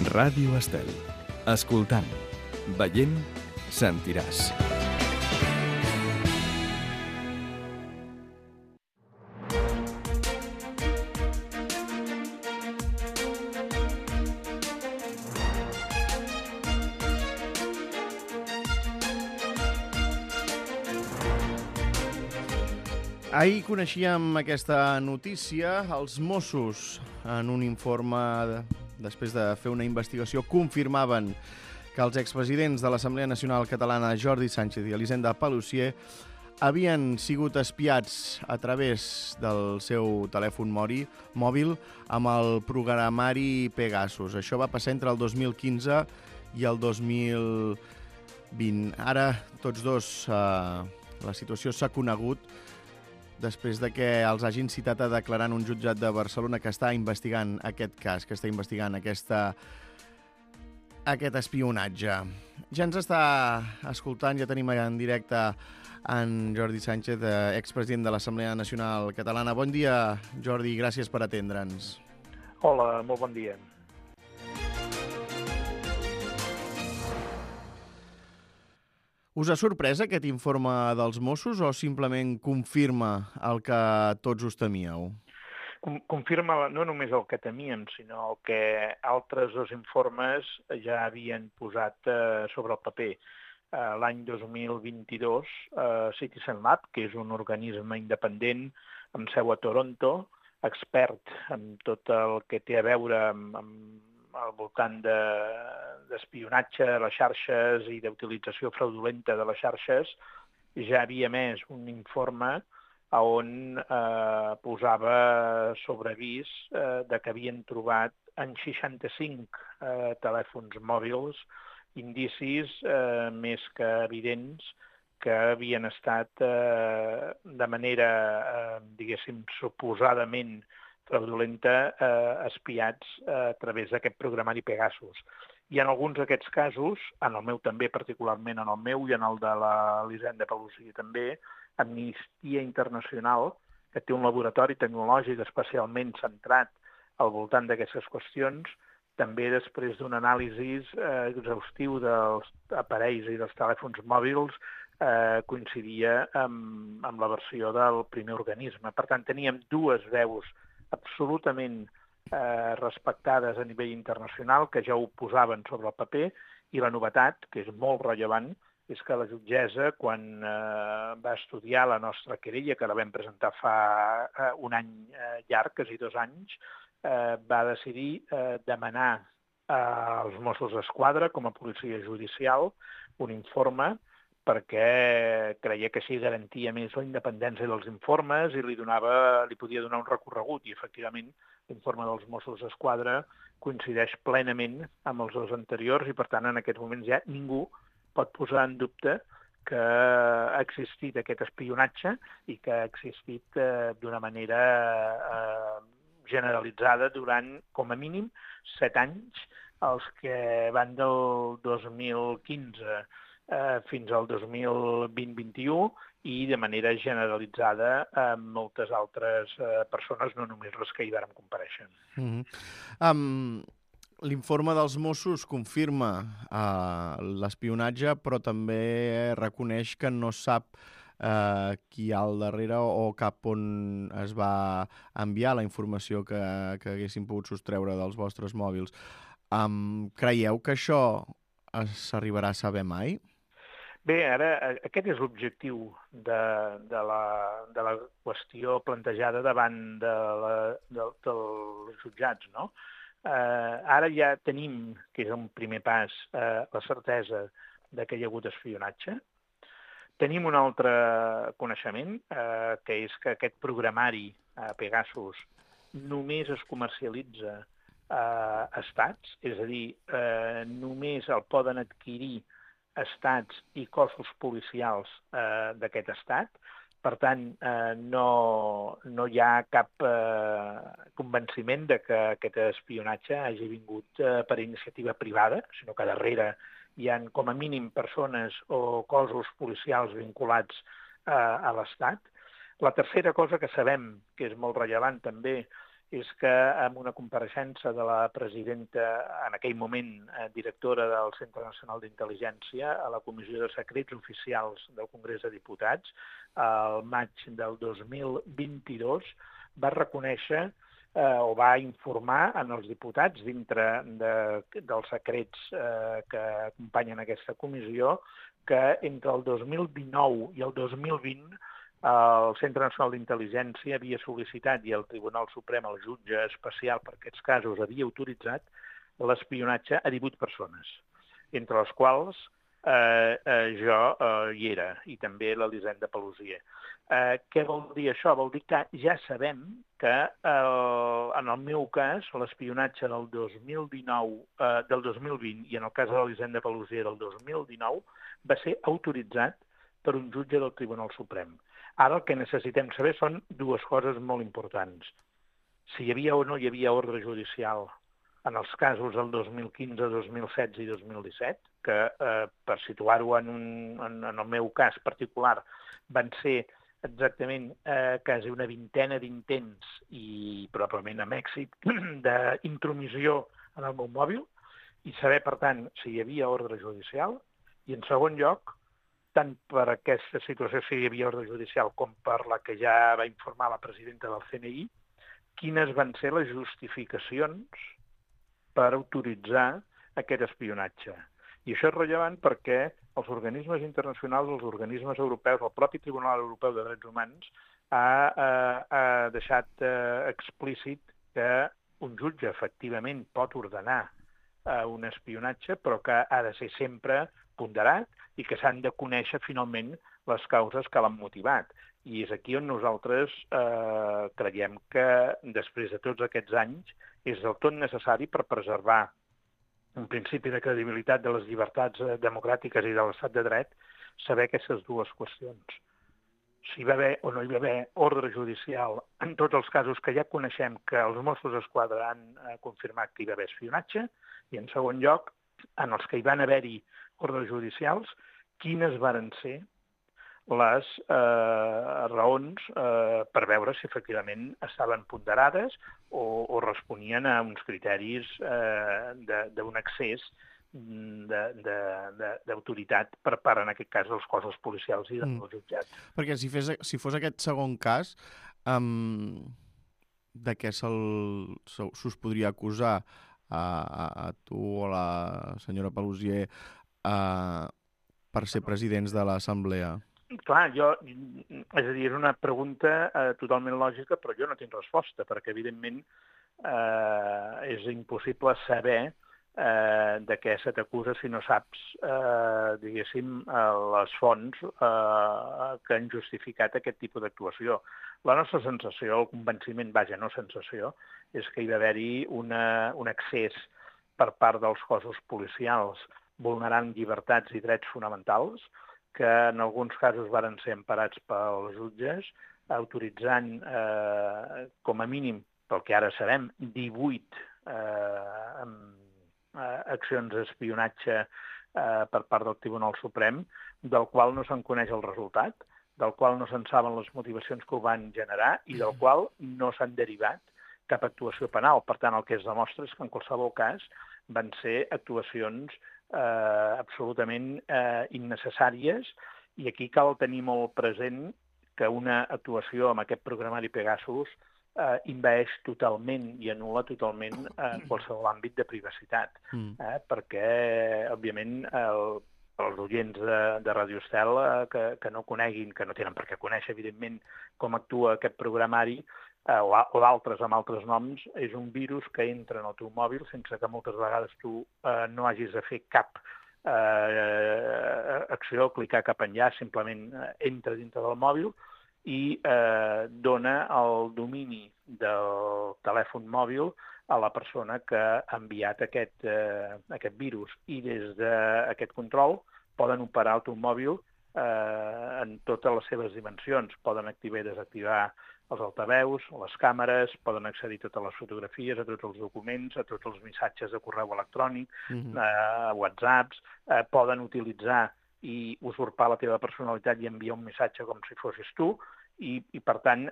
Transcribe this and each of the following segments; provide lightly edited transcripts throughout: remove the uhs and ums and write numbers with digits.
Ràdio Estel. Escoltant, veient, sentiràs. Ahir coneixíem aquesta notícia. Els Mossos, en un informe després de fer una investigació, confirmaven que els expresidents de l'Assemblea Nacional Catalana, Jordi Sànchez i Elisenda Paluzie, havien sigut espiats a través del seu telèfon mòbil amb el programari Pegasus. Això va passar entre el 2015 i el 2020. Ara, tots dos, la situació s'ha conegut després de que els hagin citat a declarar en un jutjat de Barcelona que està investigant aquest cas, que està investigant aquest espionatge. Ja ens està escoltant, ja tenim en directe en Jordi Sànchez, expresident de l'Assemblea Nacional Catalana. Bon dia, Jordi, gràcies per atendre'ns. Hola, molt bon dia. Us ha sorprès aquest informe dels Mossos o simplement confirma el que tots us temíeu? Confirma no només el que temíem, sinó el que altres dos informes ja havien posat sobre el paper. L'any 2022, Citizen Lab, que és un organisme independent amb seu a Toronto, expert en tot el que té a veure amb al voltant d'espionatge a les xarxes i d'utilització fraudulenta de les xarxes, ja havia emès un informe on posava sobre avís de que havien trobat en 65 telèfons mòbils indicis més que evidents que havien estat de manera, diguéssim, suposadament fraudulenta, espiats a través d'aquest programari Pegasus. I en alguns d'aquests casos, en el meu també, particularment en el meu i en el de l'Elisenda Paluzie també, Amnistia Internacional, que té un laboratori tecnològic especialment centrat al voltant d'aquestes qüestions, també després d'un anàlisi exhaustiu dels aparells i dels telèfons mòbils, coincidia amb la versió del primer organisme. Per tant, teníem dues veus absolutament respectades a nivell internacional, que ja ho posaven sobre el paper, i la novetat, que és molt rellevant, és que la jutgessa, quan va estudiar la nostra querella, que la vam presentar fa un any llarg, quasi 2 anys, va decidir demanar als Mossos d'Esquadra, com a policia judicial, un informe perquè creia que així garantia més la independència dels informes i li podia donar un recorregut. I, efectivament, l'informe dels Mossos d'Esquadra coincideix plenament amb els dos anteriors i, per tant, en aquests moments ja ningú pot posar en dubte que ha existit aquest espionatge i que ha existit d'una manera generalitzada durant, com a mínim, 7 anys, els que van del 2015 fins al 2020-21 i de manera generalitzada amb moltes altres persones, no només les que hi vàrem comparèixer. L'informe dels Mossos confirma l'espionatge, però també reconeix que no sap qui hi ha al darrere o cap on es va enviar la informació que haguessin pogut sostreure dels vostres mòbils. Creieu que això s'arribarà a saber mai? Bé, ara aquest és l'objectiu de la qüestió plantejada davant dels jutjats, no? Ara ja tenim, que és un primer pas, la certesa que hi ha hagut espionatge. Tenim un altre coneixement, que és que aquest programari Pegasus només es comercialitza a estats, és a dir, només el poden adquirir estats i cossos policials d'aquest estat. Per tant, no hi ha cap convenciment de que aquest espionatge hagi vingut per iniciativa privada, sinó que darrere hi ha com a mínim persones o cossos policials vinculats a l'Estat. La tercera cosa que sabem, que és molt rellevant també, és que en una compareixença de la presidenta, en aquell moment directora del Centre Nacional d'Intel·ligència, a la Comissió de Secrets Oficials del Congrés de Diputats, al maig del 2022, va reconèixer o va informar en els diputats dintre dels secrets que acompanyen aquesta comissió que entre el 2019 i el 2020 el Centre Nacional d'Intel·ligència havia sol·licitat i el Tribunal Suprem, el jutge especial per aquests casos, havia autoritzat l'espionatge a 18 persones, entre les quals jo hi era, i també l'Elisenda Paluzie. Què vol dir això? Vol dir que ja sabem que en el meu cas l'espionatge del 2020 i en el cas de l'Elisenda Paluzie del 2019 va ser autoritzat per un jutge del Tribunal Suprem. Ara el que necessitem saber són dues coses molt importants. Si hi havia o no hi havia ordre judicial en els casos del 2015, 2016 i 2017, que per situar-ho en el meu cas particular van ser exactament quasi una vintena d'intents i probablement amb èxit d'intromissió en el meu mòbil i saber, per tant, si hi havia ordre judicial i, en segon lloc, tant per aquesta situació, si hi havia ordre judicial, com per la que ja va informar la presidenta del CNI, quines van ser les justificacions per autoritzar aquest espionatge. I això és rellevant perquè els organismes internacionals, els organismes europeus, el propi Tribunal Europeu de Drets Humans ha deixat explícit que un jutge efectivament pot ordenar un espionatge, però que ha de ser sempre ponderat i que s'han de conèixer finalment les causes que l'han motivat. I és aquí on nosaltres creiem que després de tots aquests anys és del tot necessari per preservar un principi de credibilitat de les llibertats democràtiques i de l'estat de dret saber aquestes dues qüestions. Si hi va haver o no hi va haver ordre judicial en tots els casos que ja coneixem que els Mossos d'Esquadra han confirmat que hi va haver espionatge i, en segon lloc, en els que hi van haver-hi ordres judicials, quines varen ser les raons per veure si efectivament estaven ponderades o responien a uns criteris d'un excés d'autoritat per part, en aquest cas, dels cossos policials i dels jutjats. Perquè si fos aquest segon cas, de què s'us podria acusar a tu o a la senyora Paluzie per ser presidents de l'Assemblea? Clar, és a dir, és una pregunta totalment lògica, però jo no tinc resposta, perquè evidentment és impossible saber de què se t'acusa si no saps, diguéssim, les fonts que han justificat aquest tipus d'actuació. La nostra sensació, el convenciment, vaja, no sensació, és que hi va haver-hi un excés per part dels cossos policials vulnerant llibertats i drets fonamentals, que en alguns casos varen ser emparats pels jutges, autoritzant, com a mínim, pel que ara sabem, 18 accions d'espionatge per part del Tribunal Suprem, del qual no se'n coneix el resultat, del qual no se'n saben les motivacions que ho van generar i del qual no s'han derivat cap actuació penal. Per tant, el que es demostra és que en qualsevol cas van ser actuacions absolutament innecessàries i aquí cal tenir molt present que una actuació amb aquest programari Pegasus envaeix totalment i anul·la totalment qualsevol àmbit de privacitat, perquè, òbviament, els oients de Radio Estel que no coneguin, que no tenen per què conèixer, evidentment, com actua aquest programari, o d'altres amb altres noms, és un virus que entra en el teu mòbil sense que moltes vegades tu no hagis de fer cap acció, clicar cap enllaç, simplement entra dintre del mòbil i dona el domini del telèfon mòbil a la persona que ha enviat aquest virus. I des d'aquest control poden operar el teu mòbil en totes les seves dimensions. Poden activar i desactivar els altaveus, les càmeres, poden accedir a totes les fotografies, a tots els documents, a tots els missatges de correu electrònic, whatsapps, poden utilitzar i usurpar la teva personalitat i enviar un missatge com si fossis tu, i per tant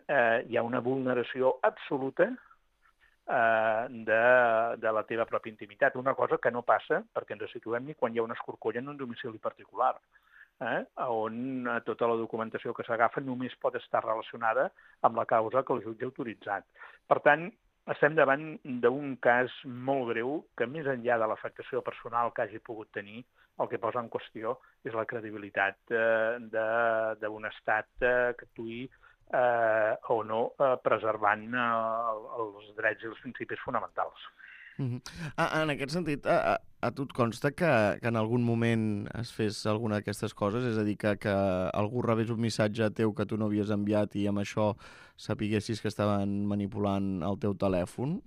hi ha una vulneració absoluta de la teva pròpia intimitat. Una cosa que no passa, perquè ens situem, ni quan hi ha una escorcolla en un domicili particular, on tota la documentació que s'agafa només pot estar relacionada amb la causa que el jutge ha autoritzat. Per tant, estem davant d'un cas molt greu que, més enllà de l'afectació personal que hagi pogut tenir, el que posa en qüestió és la credibilitat d'un estat que actuï o no preservant els drets i els principis fonamentals. En aquest sentit, a tu et consta que en algun moment es fes alguna d'aquestes coses? És a dir, que algú rebés un missatge teu que tu no havies enviat i amb això sapiguessis que estaven manipulant el teu telèfon?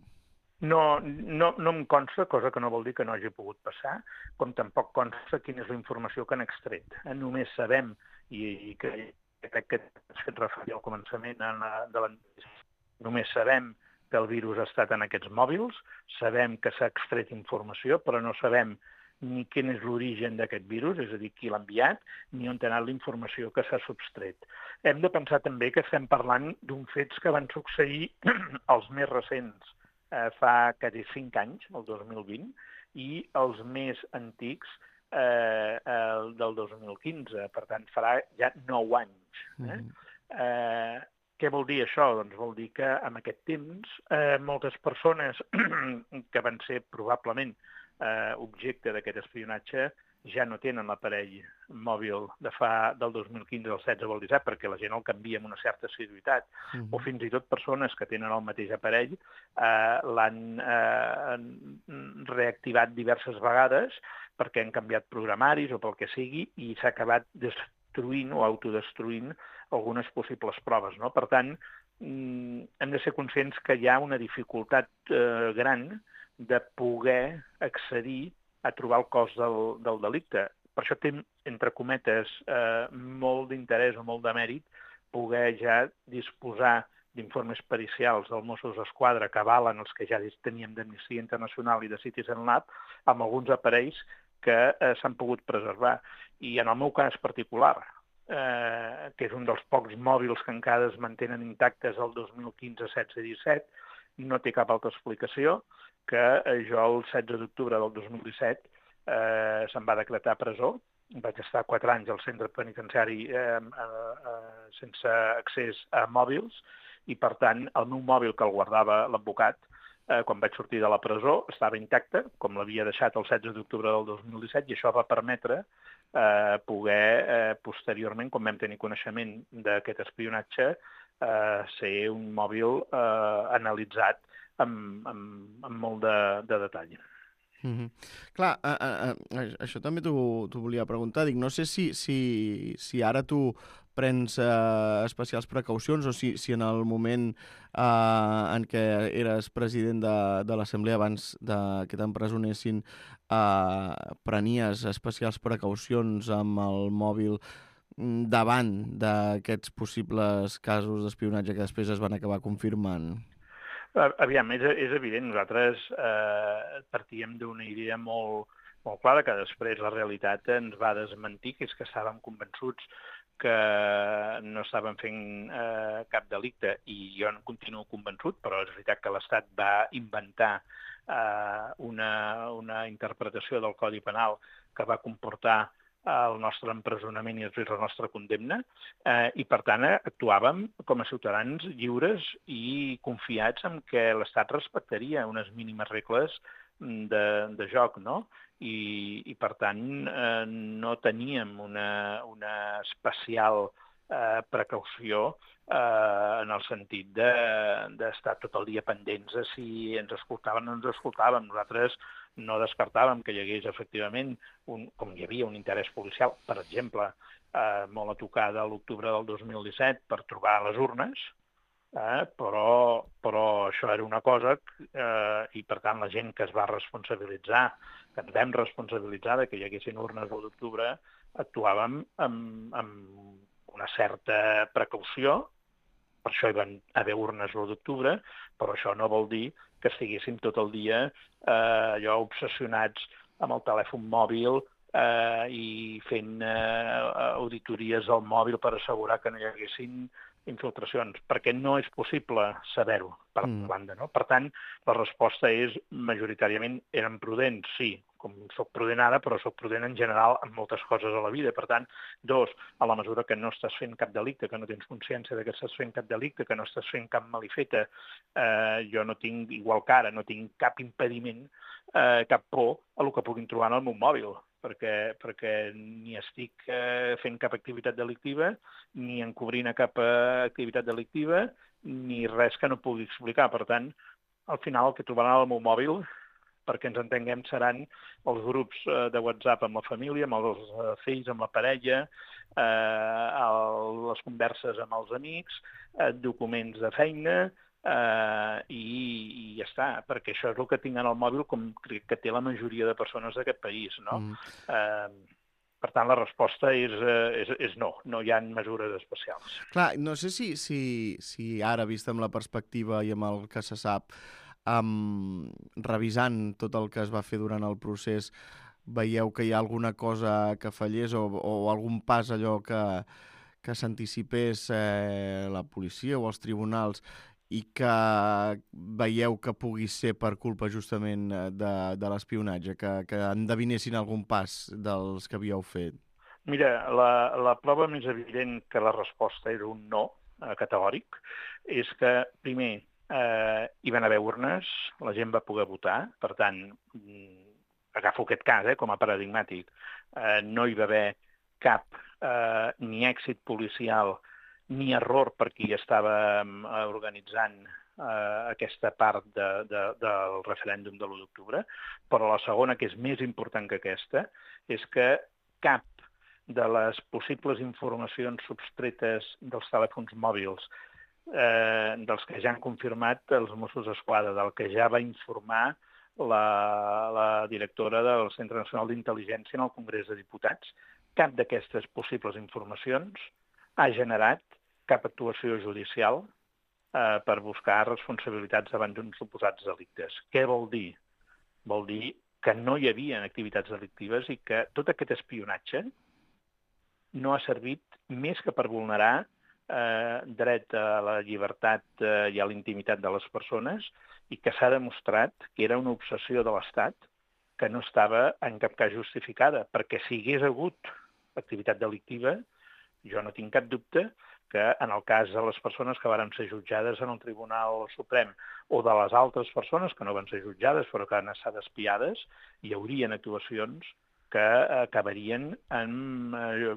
No em consta, cosa que no vol dir que no hagi pogut passar, com tampoc consta quina és la informació que han extret. Només sabem, i crec que has fet referir al començament de l'entrevista, només sabem que el virus ha estat en aquests mòbils, sabem que s'ha extret informació, però no sabem ni quin és l'origen d'aquest virus, és a dir, qui l'ha enviat, ni on ha anat la informació que s'ha subtret. Hem de pensar també que estem parlant d'uns fets que van succeir els més recents fa quasi 5 anys, el 2020, i els més antics del 2015. Per tant, farà ja 9 anys. Què vol dir això? Doncs vol dir que en aquest temps moltes persones que van ser probablement objecte d'aquest espionatge ja no tenen l'aparell mòbil del 2015 al 16 o al 17 perquè la gent el canvia amb una certa assiduïtat. O fins i tot persones que tenen el mateix aparell l'han reactivat diverses vegades perquè han canviat programaris o pel que sigui i s'ha acabat destruint o autodestruint algunes possibles proves, no? Per tant, hem de ser conscients que hi ha una dificultat gran de poder accedir a trobar el cos del delicte. Per això té, entre cometes, molt d'interès o molt de mèrit poder ja disposar d'informes pericials del Mossos d'Esquadra que avalen els que ja teníem d'Amnistia Internacional i de Citizen Lab amb alguns aparells que s'han pogut preservar. I en el meu cas particular, que és un dels pocs mòbils que encara es mantenen intactes el 2015, 16 i 17, no té cap altra explicació que jo el 16 d'octubre del 2017 se'm va decretar presó. Vaig estar 4 anys al centre penitenciari sense accés a mòbils i, per tant, el meu mòbil que el guardava l'advocat quan vaig sortir de la presó estava intacte, com l'havia deixat el 16 d'octubre del 2017, i això va permetre poder, posteriorment, quan vam tenir coneixement d'aquest espionatge, ser un mòbil analitzat amb molt de detall. Clar, això també t'ho volia preguntar. Dic, no sé si ara tu prens especials precaucions o si en el moment en què eres president de l'Assemblea abans que t'empresonessin prenies especials precaucions amb el mòbil davant d'aquests possibles casos d'espionatge que després es van acabar confirmant? Aviam, és evident, nosaltres partíem d'una idea molt clara que després la realitat ens va desmentir, que és que estàvem convençuts que no estàvem fent cap delicte, i jo en continuo convençut, però és veritat que l'Estat va inventar una interpretació del Codi Penal que va comportar el nostre empresonament i després la nostra condemna, i per tant actuàvem com a ciutadans lliures i confiats en que l'Estat respectaria unes mínimes regles de joc, no? I per tant no teníem una especial precaució en el sentit d'estar tot el dia pendents de si ens escoltaven o no ens escoltaven. Nosaltres no descartàvem que hi hagués efectivament, com hi havia un interès policial, per exemple, molt a tocar de l'octubre del 2017 per trobar les urnes, però això era una cosa i, per tant, la gent que es va responsabilitzar, que ens vam responsabilitzar de que hi haguessin urnes l'1 d'octubre, actuàvem amb una certa precaució. Per això hi van haver urnes l'1 d'octubre, però això no vol dir que estiguéssim tot el dia allò obsessionats amb el telèfon mòbil i fent auditories al mòbil per assegurar que no hi haguessin infiltracions, perquè no és possible saber-ho, per banda, no? Per tant, la resposta és, majoritàriament, eren prudents, sí, com soc prudent ara, però soc prudent en general en moltes coses a la vida. Per tant, dos, a la mesura que no estàs fent cap delicte, que no tens consciència de que estàs fent cap delicte, que no estàs fent cap malifeta, jo no tinc, igual que ara, no tinc cap impediment, cap por a el que puguin trobar en el meu mòbil, perquè ni estic fent cap activitat delictiva, ni encobrint a cap activitat delictiva, ni res que no pugui explicar. Per tant, al final el que trobaran al meu mòbil, perquè ens entenguem, seran els grups de WhatsApp amb la família, amb els fills, amb la parella, les converses amb els amics, documents de feina, i ja està, perquè això és el que tinc en el mòbil, com crec que té la majoria de persones d'aquest país, no? Per tant, la resposta és no, no hi ha mesures especials. Clar, no sé si ara, vist amb la perspectiva i amb el que se sap, revisant tot el que es va fer durant el procés, veieu que hi ha alguna cosa que fallés o algun pas allò que s'anticipés la policia o els tribunals i que veieu que pugui ser per culpa justament de l'espionatge, que endevinessin algun pas dels que havíeu fet? Mira, la prova més evident que la resposta era un no categòric és que, primer, hi van haver urnes, la gent va poder votar, per tant, agafo aquest cas com a paradigmàtic, no hi va haver cap ni èxit policial ni error per qui estava organitzant aquesta part del referèndum de l'1 d'octubre, però la segona, que és més important que aquesta, és que cap de les possibles informacions substretes dels telèfons mòbils, dels que ja han confirmat els Mossos d'Esquadra, del que ja va informar la directora del Centre Nacional d'Intel·ligència en el Congrés de Diputats, cap d'aquestes possibles informacions ha generat cap actuació judicial per buscar responsabilitats davant d'uns suposats delictes. Què vol dir? Vol dir que no hi havia activitats delictives i que tot aquest espionatge no ha servit més que per vulnerar dret a la llibertat i a la intimitat de les persones i que s'ha demostrat que era una obsessió de l'Estat que no estava en cap cas justificada, perquè si hi hagués hagut activitat delictiva, jo no tinc cap dubte que en el cas de les persones que varen ser jutjades en el Tribunal Suprem o de les altres persones que no van ser jutjades però que han estat espiades, hi haurien actuacions que acabarien en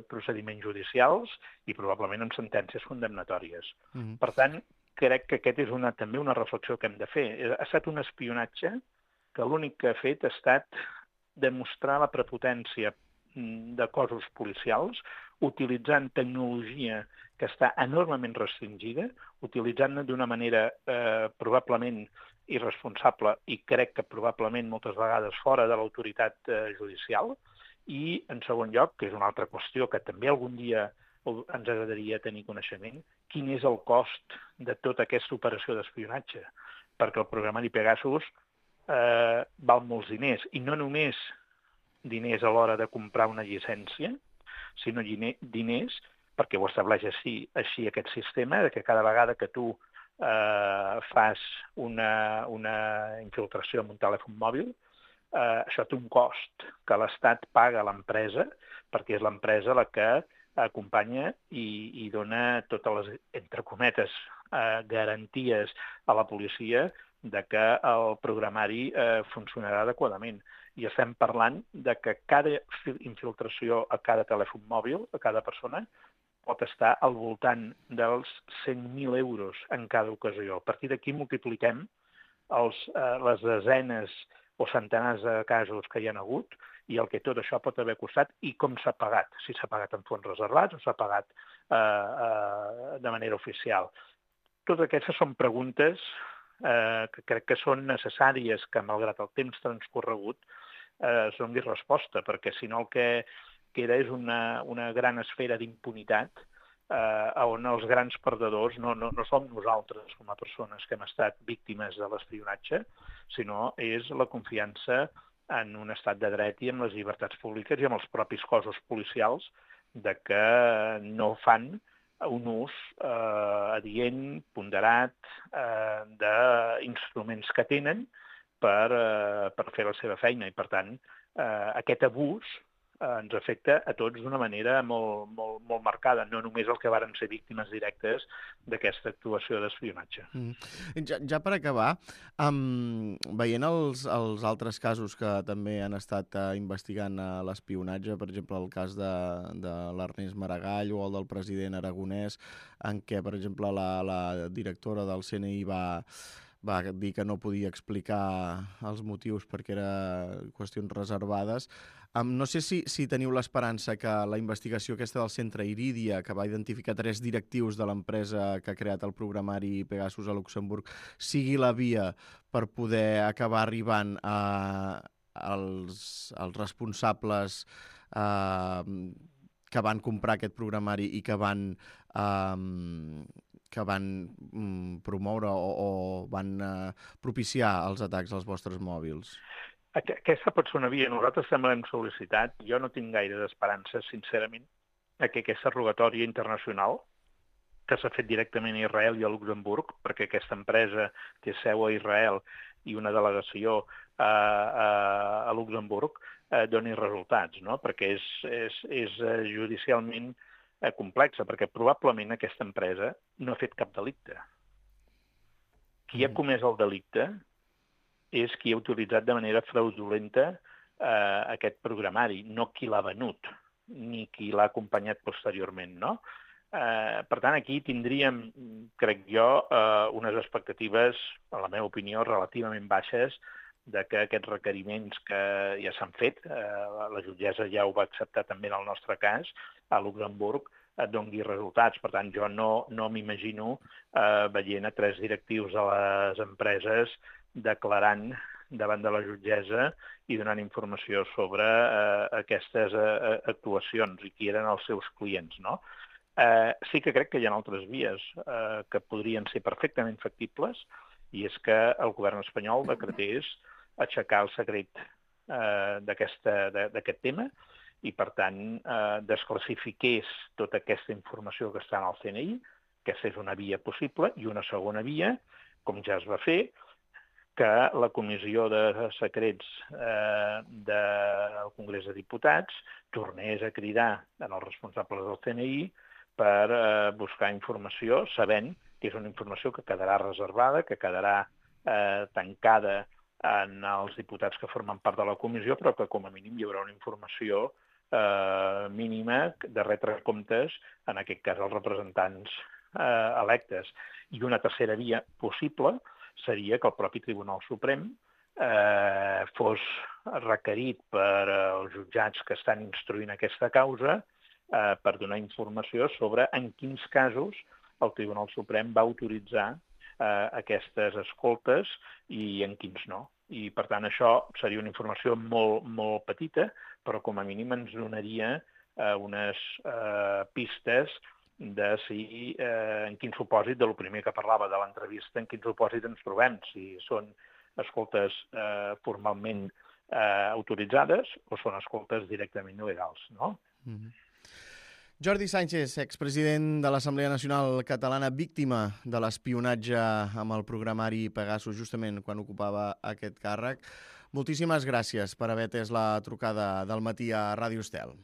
procediments judicials i probablement en sentències condemnatòries. Per tant, crec que aquest és també una reflexió que hem de fer. Ha estat un espionatge que l'únic que ha fet ha estat demostrar la prepotència de cossos policials, utilitzant tecnologia que està enormement restringida, utilitzant-la d'una manera probablement irresponsable i crec que probablement moltes vegades fora de l'autoritat judicial, i, en segon lloc, que és una altra qüestió que també algun dia ens agradaria tenir coneixement, quin és el cost de tota aquesta operació d'espionatge, perquè el programari Pegasus val molts diners, i no només diners a l'hora de comprar una llicència, sinó diners, perquè ho estableix així aquest sistema, que cada vegada que tu fas una infiltració amb un telèfon mòbil, això té un cost que l'Estat paga a l'empresa, perquè és l'empresa la que acompanya i dona totes les, entre cometes, garanties a la policia de que el programari funcionarà adequadament. I estem parlant de que cada infiltració a cada telèfon mòbil, a cada persona, pot estar al voltant dels 100.000 euros en cada ocasió. A partir d'aquí multipliquem les desenes o centenars de casos que hi ha hagut i el que tot això pot haver costat i com s'ha pagat, si s'ha pagat en fons reservats o s'ha pagat de manera oficial. Totes aquestes són preguntes que crec que són necessàries que, malgrat el temps transcorregut, es doni resposta, perquè si no el que queda és una gran esfera d'impunitat on els grans perdedors no som nosaltres com a persones que hem estat víctimes de l'espionatge, sinó és la confiança en un estat de dret i amb les llibertats públiques i amb els propis cossos policials de que no fan un ús adient, ponderat, d'instruments que tenen per fer la seva feina. I, per tant, aquest abús ens afecta a tots d'una manera molt, molt, molt marcada, no només el que varen ser víctimes directes d'aquesta actuació d'espionatge. Ja per acabar, veient els altres casos que també han estat investigant l'espionatge, per exemple, el cas de l'Ernest Maragall o el del president Aragonès, en què, per exemple, la directora del CNI va dir que no podia explicar els motius perquè eren qüestions reservades. No sé si teniu l'esperança que la investigació aquesta del Centre Iridia, que va identificar 3 directius de l'empresa que ha creat el programari Pegasus a Luxemburg, sigui la via per poder acabar arribant als responsables que van comprar aquest programari i que van promoure o van propiciar els atacs als vostres mòbils? Aquesta pot ser una via. Nosaltres també l'hem sol·licitat. Jo no tinc gaire d'esperança, sincerament, que aquesta rogatòria internacional, que s'ha fet directament a Israel i a Luxemburg, perquè aquesta empresa té seu a Israel i una delegació a Luxemburg, doni resultats, no? Perquè és judicialment complexa, perquè probablement aquesta empresa no ha fet cap delicte. Qui ha comès el delicte és qui ha utilitzat de manera fraudulenta aquest programari, no qui l'ha venut, ni qui l'ha acompanyat posteriorment, no? Per tant, aquí tindríem, crec jo, unes expectatives, a la meva opinió, relativament baixes de que aquests requeriments que ja s'han fet, la jutgessa ja ho va acceptar també en el nostre cas, a Luxemburg, et doni resultats. Per tant, jo no m'imagino veient a 3 directius de les empreses declarant davant de la jutgessa i donant informació sobre aquestes actuacions i qui eren els seus clients, no? Sí que crec que hi ha altres vies que podrien ser perfectament factibles, i és que el govern espanyol decretés aixecar el secret d'aquest tema i, per tant, desclassifiqués tota aquesta informació que està en el CNI. Aquesta és una via possible. I una segona via, com ja es va fer, que la Comissió de Secrets del Congrés de Diputats tornés a cridar als responsables del CNI per buscar informació, sabent que és una informació que quedarà reservada, que quedarà tancada en els diputats que formen part de la comissió, però que com a mínim hi haurà una informació mínima de retre comptes, en aquest cas als representants electes. I una tercera via possible seria que el propi Tribunal Suprem fos requerit per als jutjats que estan instruint aquesta causa per donar informació sobre en quins casos el Tribunal Suprem va autoritzar aquestes escoltes i en quins no. I, per tant, això seria una informació molt, molt petita, però com a mínim ens donaria unes pistes de si, en quin supòsit, de lo primer que parlava de l'entrevista, en quin supòsit ens trobem, si són escoltes formalment autoritzades o són escoltes directament il·legals, no? Jordi Sànchez, expresident de l'Assemblea Nacional Catalana, víctima de l'espionatge amb el programari Pegasus, justament quan ocupava aquest càrrec. Moltíssimes gràcies per haver atès la trucada del matí a Ràdio Estel.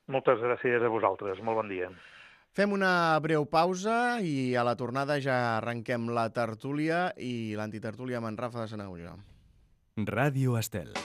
Moltes gràcies a vosaltres. Molt bon dia. Fem una breu pausa i a la tornada ja arrenquem la tertúlia i l'antitertúlia amb en Rafa de Sanahuja. Ràdio Estel.